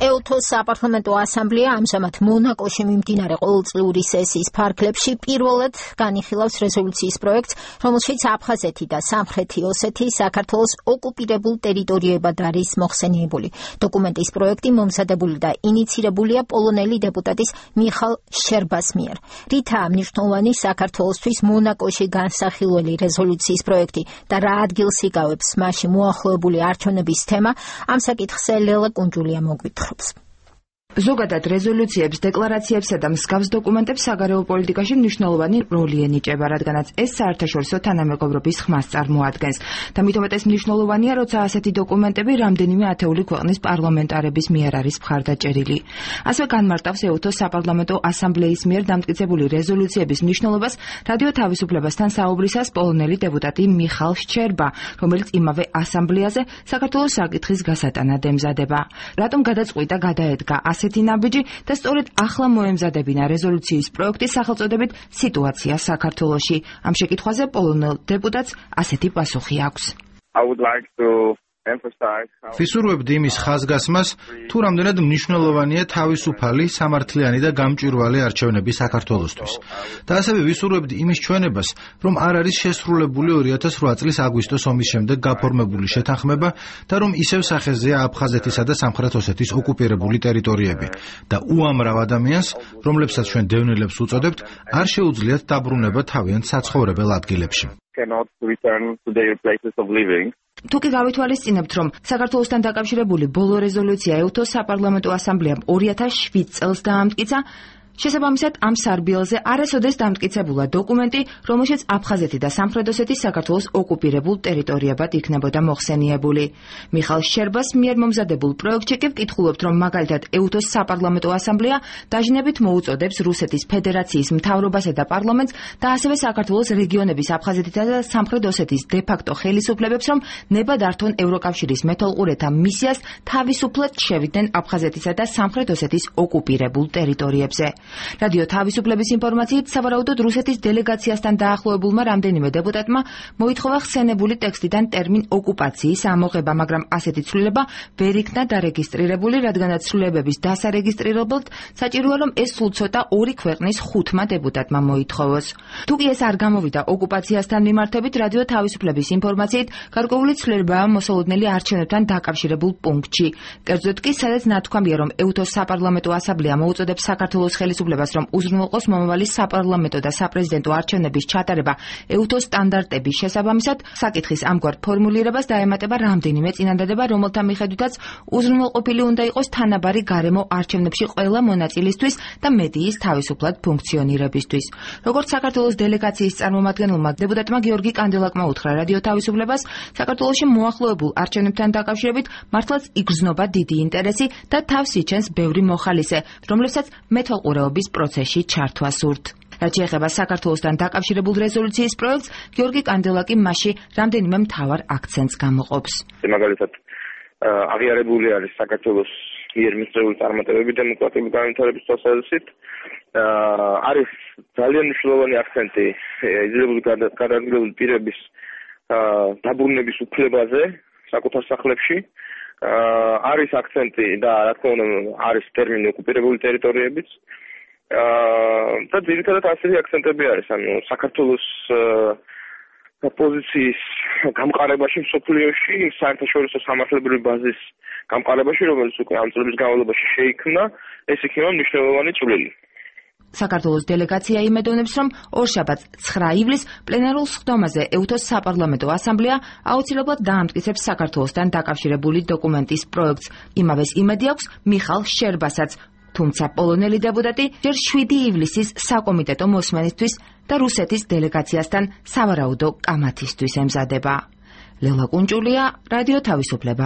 EUTO-ს საპარლამენტო ასამბლეა ამჟამად მონაკოში მიმდინარე ყოველწლიური სესიის ფარგლებში პირველად განიხილავს რეზოლუციის პროექტს, რომელშიც აფხაზეთი და სამხრეთი ოსეთი საქართველოს ოკუპირებულ ტერიტორიებად არის მოხსენიებული. დოკუმენტის პროექტი მომზადებული და ინიცირებულია პოლონელი დეპუტატის მიხალ შერბას მიერ. რითაა მნიშვნელოვანი საქართველოსთვის მონაკოში განსახილველი რეზოლუციის პროექტი და რა ადგილს იკავებს მასში მოახლოებული არჩევნების თემა, ამ საკითხზე ლელა კუნჯულია მოგვითხრობს. ზოგადად რეზოლუციებს, დეკლარაციებსა და მსგავს დოკუმენტებს საგარეო პოლიტიკაში მნიშვნელოვანი როლი ენიჭება, რადგანაც ეს საერთაშორისო თანამეგობრობის ხმას წარმოადგენს. და მით უმეტეს მნიშვნელოვანია, როცა ასეთი დოკუმენტები რამდენიმე ათეული ქვეყნის პარლამენტარების მიერ არის მხარდაჭერილი. ასევე განმარტავს EUTO-ს საპარლამენტო ასამბლეის მიერ დამტკიცებული რეზოლუციების მნიშვნელობას რადიო თავისუფლებასთან საუბრისას პოლონელი დეპუტატი მიხალ შჩერბა, რომელიც იმავე ასამბლეაზე საქართველოს საკითხის გასატანად ემზადება. რატომ გადაწყვიტა გადაედგა ასეთი ნაბიჯი და სწორედ ახლა მოემზადებინა რეზოლუციის პროექტის სახელწოდებით სიტუაცია საქართველოში. ამ შეკითხვაზე პოლონელ დეპუტატს ასეთი პასუხი აქვს. ვისურვებდი იმის ხაზგასმას, თუ რამდენად მნიშვნელოვანია თავისუფალი, სამართლიანი და გამჭვირვალე არჩევნები საქართველოსთვის. და ასევე ვისურვებდი იმის ჩვენებას, რომ არ არის შესრულებული 2008 წლის აგვისტოს ომის შემდეგ გაფორმებული შეთანხმება და რომ ისევ სახეზეა აფხაზეთისა და სამხრეთ ოსეთის ოკუპირებული ტერიტორიები და უამრავ ადამიანს, რომლებსაც ჩვენ დევნილებს უწოდებთ, არ შეუძლიათ დაბრუნება თავიანთ საცხოვრებელ ადგილებში. თუ კი გავითვალისწინებთ, რომ საქართველოსთან დაკავშირებული ბოლო რეზოლუცია EUTO-ს საპარლამენტო ასამბლეამ 2007 წელს დაამტკიცა, შესაბამისად ამ სარბიელზე არასოდეს დამტკიცებულა დოკუმენტი, რომელშიც აფხაზეთი და სამხრეთ ოსეთი საქართველოს ოკუპირებულ ტერიტორიებად იქნებოდა მოხსენიებული. მიხალ შერბას მიერ მომზადებულ პროექტში კი ვკითხულობთ, რომ მაგალითად EUTO-ს საპარლამენტო ასამბლეა დაჟინებით მოუწოდებს რუსეთის ფედერაციის მთავრობასა და პარლამენტს და ასევე საქართველოს რეგიონების აფხაზეთისა და სამხრეთ ოსეთის დე-ფაქტო ხელისუფლებებს, რომ ნება დართონ ევროკავშირის მეთვალყურეთა მისიას თავისუფლად შევიდნენ აფხაზეთისა და სამხრეთ ოსეთის ოკუპირებულ ტერიტორიებზე. რადიო თავისუფლების ინფორმაციით, სავარაუდოდ რუსეთის დელეგაციასთან დაახლოებულმა რამდენიმე დეპუტატმა მოითხოვა ხსენებული ტექსტიდან ტერმინ ოკუპაციის ამოღება, მაგრამ ასეთი ცვლილება ვერ იქნა დარეგისტრირებული, რადგანაც ცვლილებების დასარეგისტრირებლად საჭიროა, რომ ეს სულ ცოტა ორი ქვეყნის 5-მა დეპუტატმა მოითხოვოს. თუ კი ეს არ გამოვიდა ოკუპაციასთან მიმართებით, რადიო თავისუფლების ინფორმაციით, გარკვეული ცვლილებაა მოსალოდნელი არჩევნებთან დაკავშირებულ პუნქტში. კერძოდ კი, სადაც ნათქვამია, რომ EUTO-ს საპარლამენტო ასამბლეა მოუწოდებს საქართველოს ხელისუფლებას, რომ უზრუნველყოს მომავალი საპარლამენტო და საპრეზიდენტო არჩევნების ჩატარება EUTO-ს სტანდარტების შესაბამისად, საკითხის ამგვარ ფორმულირებას დაემატება რამდენიმე წინადადება, რომელთა მიხედვითაც უზრუნველყოფილი უნდა იყოს თანაბარი გარემო არჩევნებში ყველა მონაწილისთვის და მედიის თავისუფლად ფუნქციონირებისთვის. როგორც საქართველოს დელეგაციის წარმომადგენელმა დეპუტატმა გიორგი კანდელაკმა უთხრა რადიო თავისუფლებას, საქართველოში მოახლოებულ არჩევნებთან დაკავშირებით მართლაც იგრძნობა დიდი ინტერესი და თავს იჩენს ბევრი მოხალისე, რომლებსაც მეთვალყურეობის პროცესში ჩართვა სურთ. რაც შეეხება საქართველოსთან დაკავშირებულ რეზოლუციის პროექტს, გიორგი კანდელაკი მასში რამდენიმე მთავარ აქცენტს გამოყოფს. მაგალითად, აღიარებული არის საქართველოს მიერ მიღებული წარმატებები დემოკრატიული განვითარების თვალსაზრისით. არის ძალიან მნიშვნელოვანი აქცენტი იძულებული გადადგმული პირების დაბრუნების უფლებაზე საკუთარ სახლებში. არის აქცენტი და რა თქმა უნდა არის ტერმინი ოკუპირებული ტერიტორიებიც. და ძირითადად ასეთი აქცენტები არის, ანუ საქართველოს პოზიციის გამყარებაში მსოფლიოში, საერთაშორისო სამართლებრივი ბაზის გამყარებაში, რომელიც უკვე ამ წლების განმავლობაში შეიქმნა, ეს იქნება მნიშვნელოვანი წვლილი. საქართველოს დელეგაცია იმედოვნებს, რომ ორშაბათს 9 ივლისს პლენარულ სხდომაზე EUTO-ს საპარლამენტო ასამბლეა აუცილებლად დაამტკიცებს საქართველოსთან დაკავშირებული დოკუმენტის პროექტს. იმავეს იმედი აქვს მიხალ შერბასაც, თუმცა პოლონელი დეპუტატი ჯერ 7 ივლისის საკომიტეტო მოსმენისთვის და რუსეთის დელეგაციასთან სავარაუდო კამათისთვის ემზადება. ლელა კუნჯულია, რადიო თავისუფლება.